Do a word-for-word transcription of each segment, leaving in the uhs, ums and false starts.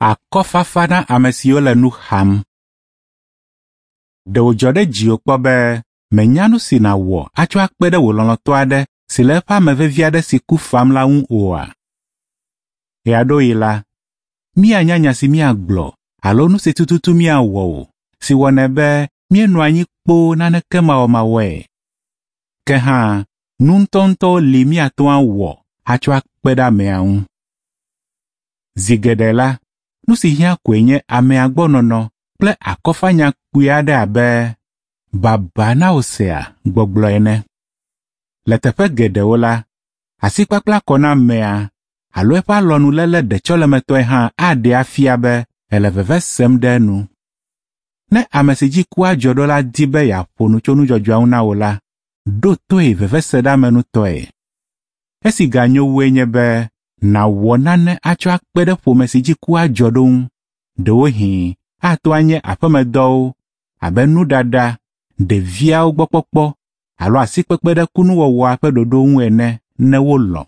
Akɔfafa na ame siwo le nu xam. Ɖe wòdzɔ ɖe dziwò kpɔ be mènya nu si nàwɔ atsɔ akpe ɖe wò lɔlɔ̃tɔ aɖe si le eƒe ame vevi aɖe si ku fam la ŋu oa? Ɣeaɖewoɣi la, míanya nya si míagblɔ alo nu si tututu míawɔ o, si wɔnɛ be míenɔa anyi kpoo naneke mawɔmawɔe. Ke hã, nu ŋutɔŋutɔwo li míate ŋu awɔ atsɔ akpe ɖe amea ŋu. Zi geɖe la, nu si hiã koe nye amea gbɔ nɔnɔ kple akɔfanya kpui aɖe abe “Baba na wò sea” gbɔgblɔ ene. Le teƒe geɖewo la, asikpakpla kɔ na amea alo eƒe alɔnuléle ɖetsɔlemetɔe hã aɖee afia be ele veve sem ɖe enu. Ne ame si dzi kua dzɔ ɖo la di be yeaƒo nu tso nudzɔdzɔa ŋu na wò la, ɖo toe veveseɖeamenutɔe. Esi ganyo wue nye be nàwɔ nane atsɔ akpe ɖe ƒome si dzi kua dzɔ ɖo ŋu, ɖewohĩ ato anye aƒemedɔwo abe nuɖaɖa, ɖeviawo gbɔ kpɔkpɔ alo asikpekpe ɖe kunuwɔwɔa ƒe ɖoɖo ŋu ene ne wolɔ̃.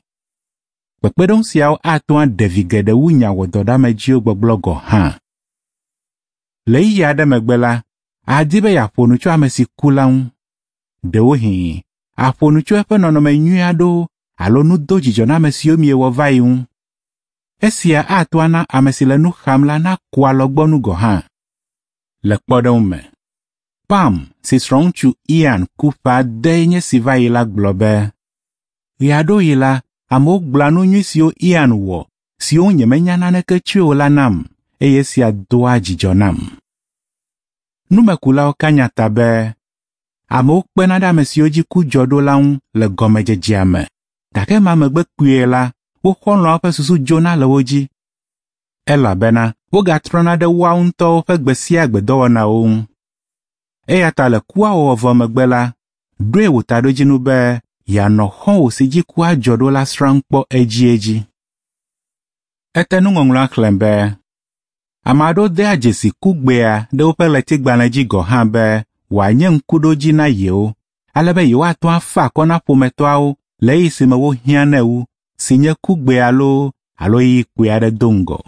Kpekpeɖeŋu siawo ate ŋu aɖe vi geɖe wu nya wɔdɔɖeamedziwo gbɔgblɔ gɔ̃ hã. Le ɣeyiɣi aɖe megbe la, àdi be yeaƒo nu tso ame si ku la ŋu. Ɖewohĩ àƒo nu tso eƒe nɔnɔme nyui aɖewo alo nu dodzidzɔname siwo miewɔ va yi ŋu. Esia ate ŋu ana ame si le nu xam la naku alɔgbɔnu gɔ̃ hã. Le kpɔɖeŋu me, Pam si srɔ̃ŋutsu Ian ku ƒe ade nye si va yi la gblɔ be, ɣeaɖewoɣi la, amewo gblɔa nu nyui siwo Ian wɔ siwo ŋu nyemenya naneke tsoe o la nam eye esia doa dzidzɔ nam. Numekulawo ka nya ta be amewo kpena ɖe ame siwo dzi ku dzɔ ɖo la ŋu le gɔmedzedzea me, gake ema megbe kpuie la, wo xɔlɔ̃awo ƒe susu dzona le wo dzi elabena wogatrɔna ɖe woawo ŋutɔwo ƒe gbe sia gbe dɔwɔnawo ŋu. Eya ta le kua wɔwɔ vɔ megbe la, ɖoe wò taɖodzinu be yeanɔ xɔ̃wò si dzi kua dzɔ ɖo la srãm kpɔ edziedzi. Ete nuŋɔŋlɔa xlẽm be ame aɖewo dea dzesi kugbea ɖe woƒe ɣletigbalẽ dzi gɔ̃ hã be wòanye ŋkuɖodzi na yewo, ale be yewoate ŋu afa akɔ na ƒometɔawo le ɣeyiɣi si me wohiã nɛ wu, si nye kugbea loo alo ɣeyiɣi kpui aɖe do ŋgɔ.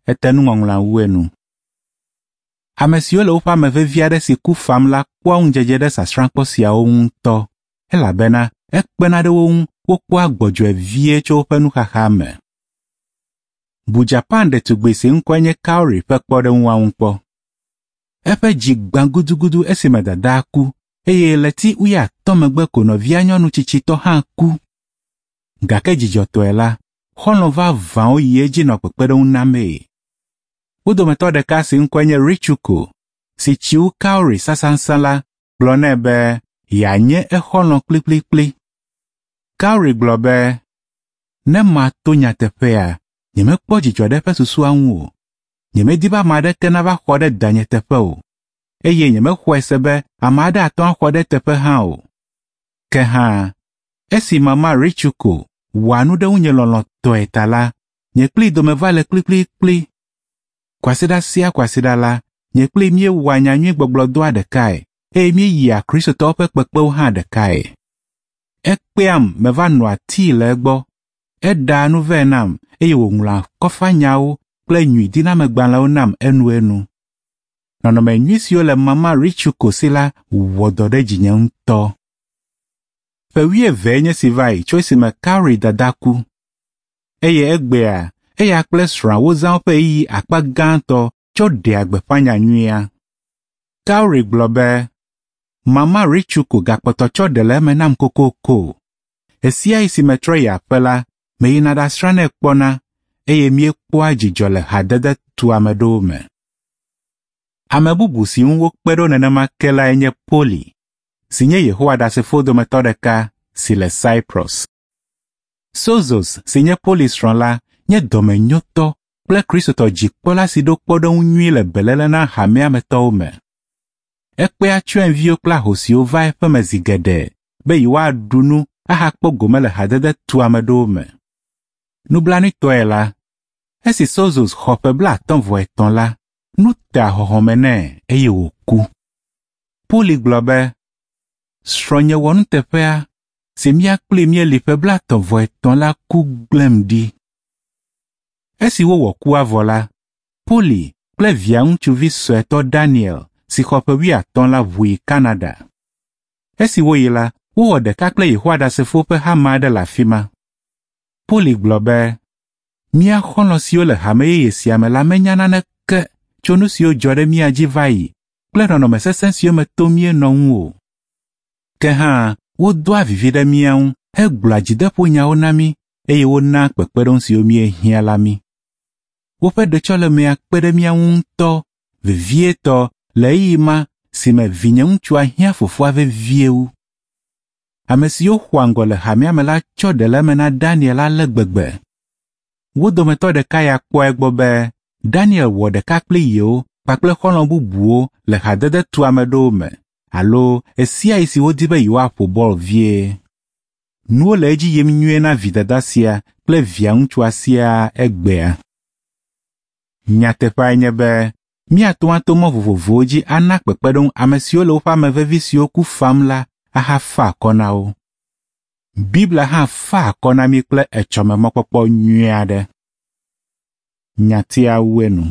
Ete nuŋɔŋlɔa wu enu. Ame siwo le woƒe ame vevi aɖe si ku fam la kpɔa ŋudzedze ɖe sasrãkpɔ siawo ŋu ŋutɔ elabena ekpena ɖe wo ŋu wokpɔa gbɔdzɔe vie tso woƒe nuxaxa me. Bu Japan ɖetugbi si ŋkɔe nye Kaori ƒe kpɔɖeŋua ŋu kpɔ. Eƒe dzi gbã gudugudu esime dadaa ku eye ɣleti wuiatɔ̃ megbe ko nɔvia nyɔnu tsitsitɔ hã ku. Gake dzidzɔtɔe la, xɔlɔ̃ vavãwo yi edzi nɔ kpekpeɖeŋu namee. Wo dometɔ ɖeka si ŋkɔe nye Ritsuko, si tsi wu Kaori sãsãsã la, gblɔ nɛ be yeanye exɔlɔ̃ kplikplikpli. Kaori gblɔ be, ne mato nyateƒea, nyemekpɔ dzidzɔ ɖe eƒe susua ŋu o. Nyemedi be ame aɖeke nava xɔ ɖe danye teƒe o, eye nyemexɔe se be ame aɖe ate ŋu axɔ ɖe eteƒe hã o. Ke hã, esi mama Ritsuko wɔa nu ɖe ŋunye lɔlɔ̃tɔe ta la, nye kplii dome va le kplikplikpli. Kwasiɖa sia kwasiɖa la, nye kplii míewɔa nyanyuigbɔgblɔdɔa ɖekae eye míeyia Kristotɔwo ƒe kpekpewo hã ɖekae. Ekpeam meva nɔa tii le egbɔ. Eɖaa nu vɛ nam eye wòŋlɔa akɔfanyawo kple nyuidinamegbalẽwo nam enuenu. Nɔnɔme nyui siwo le mama Ritsuko si la wɔ dɔ ɖe dzinye ŋutɔ. Ƒe wuievee nye si va yi tso esime Kaori dada ku eye egbea eya kple srɔ̃a wozã woƒe ɣeyiɣi akpa gãtɔ tsɔ ɖea gbeƒã nyanyuia. Kaori gblɔ be, Mama Ritsuko gakpɔtɔ tsɔ ɖe le eme nam kokoko. Ɣesiaɣi si metrɔ yi aƒe la, meyina ɖasrãnɛ kpɔna eye míekpɔa dzidzɔ le hadede tuameɖowo me. Ame bubu si ŋu wokpe ɖo nenema ke lae nye Poli, si nye Yehowa Ɖasefo dometɔ ɖeka si le Cyprus. Sozos si nye Poli srɔ̃ la nye dɔmenyotɔ kple Kristotɔ dzikpɔla si ɖo kpɔɖeŋu nyui le beléle na hamea me tɔwo me. Ekpea tsyɔ̃eviwo kple ahosiwo va eƒeme zi geɖe be yewoaɖu nu ahakpɔ gome le hadede tuameɖowo me. Nublanuitɔe la, esi Sozos xɔ ƒe blaatɔ̃ vɔ etɔ̃ la, nu te ahɔhɔme nɛ eye wòku. Poli gblɔ be, srɔ̃nye wɔnuteƒea si mía kplii míeli ƒe blaetɔ̃ vɔ etɔ̃ la ku gblẽm ɖi. Esi wowɔ kua vɔ la, Poli kple via ŋutsuvi suetɔ Daniel si xɔ ƒe wuiatɔ̃ la ʋu yi Canada. Esi woyi la, wowɔ ɖeka kple Yehowa Ɖasefowo ƒe hame aɖe le afi ma. Poli gblɔ be, mía xɔlɔ̃ siwo le hame yeye sia me la menya naneke tso nu siwo dzɔ ɖe mía dzi va yi kple nɔnɔme sesẽ siwo me tom míenɔ ŋu o. Ke hã wodoa vivi ɖe mía ŋu hegblɔa dzideƒonyawo na mí eye wonaa kpekpeɖeŋu siwo míehiã la mí. Woƒe ɖetsɔlemea kpe ɖe mía ŋu ŋutɔ, vevietɔ le ɣeyiɣi ma si me vinyeŋutsua hiã fofoa vevie wu. Ame siwo xɔa ŋgɔ le hamea me la tsɔ ɖe le eme na Daniel ale gbegbe. Wo dometɔ ɖeka ya kpɔa egbɔ be Daniel wɔ ɖeka kpli yewo kpakple xɔlɔ̃ bubuwo le hadede tuameɖowo me alo ɣesiaɣi si wodi be yewoaƒo bɔl vie. Nuwo le edzi yim nyuie na vidada sia kple via ŋutsua siaa egbea. Nyateƒeae nye be míate ŋu ato mɔ vovovowo dzi ana kpekpeɖeŋu ame siwo le woƒe ame vevi siwo ku fam la ahafa akɔ na wo. Biblia hã fa akɔ na mí kple etsɔme mɔkpɔkpɔ nyui aɖe. Nyatia wu enu.